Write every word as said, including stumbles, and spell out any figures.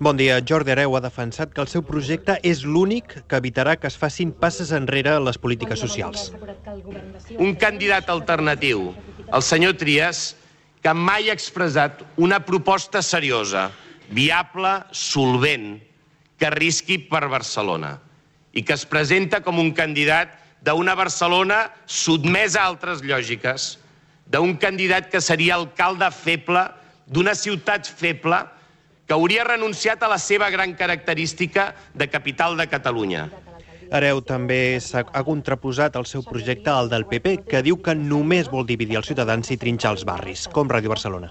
Bon dia. Jordi Hereu ha defensat que el seu projecte és l'únic que evitarà que es facin passes enrere les polítiques socials. Un candidat alternatiu, el senyor Trias, que mai ha expressat una proposta seriosa, viable, solvent, que arrisqui per Barcelona i que es presenta com un candidat d'una Barcelona sotmesa a altres lògiques, d'un candidat que seria alcalde feble d'una ciutat feble que hauria renunciat a la seva gran característica de capital de Catalunya. Hereu també ha contraposat el seu projecte al del P P, que diu que només vol dividir els ciutadans i trinxar els barris, com Ràdio Barcelona.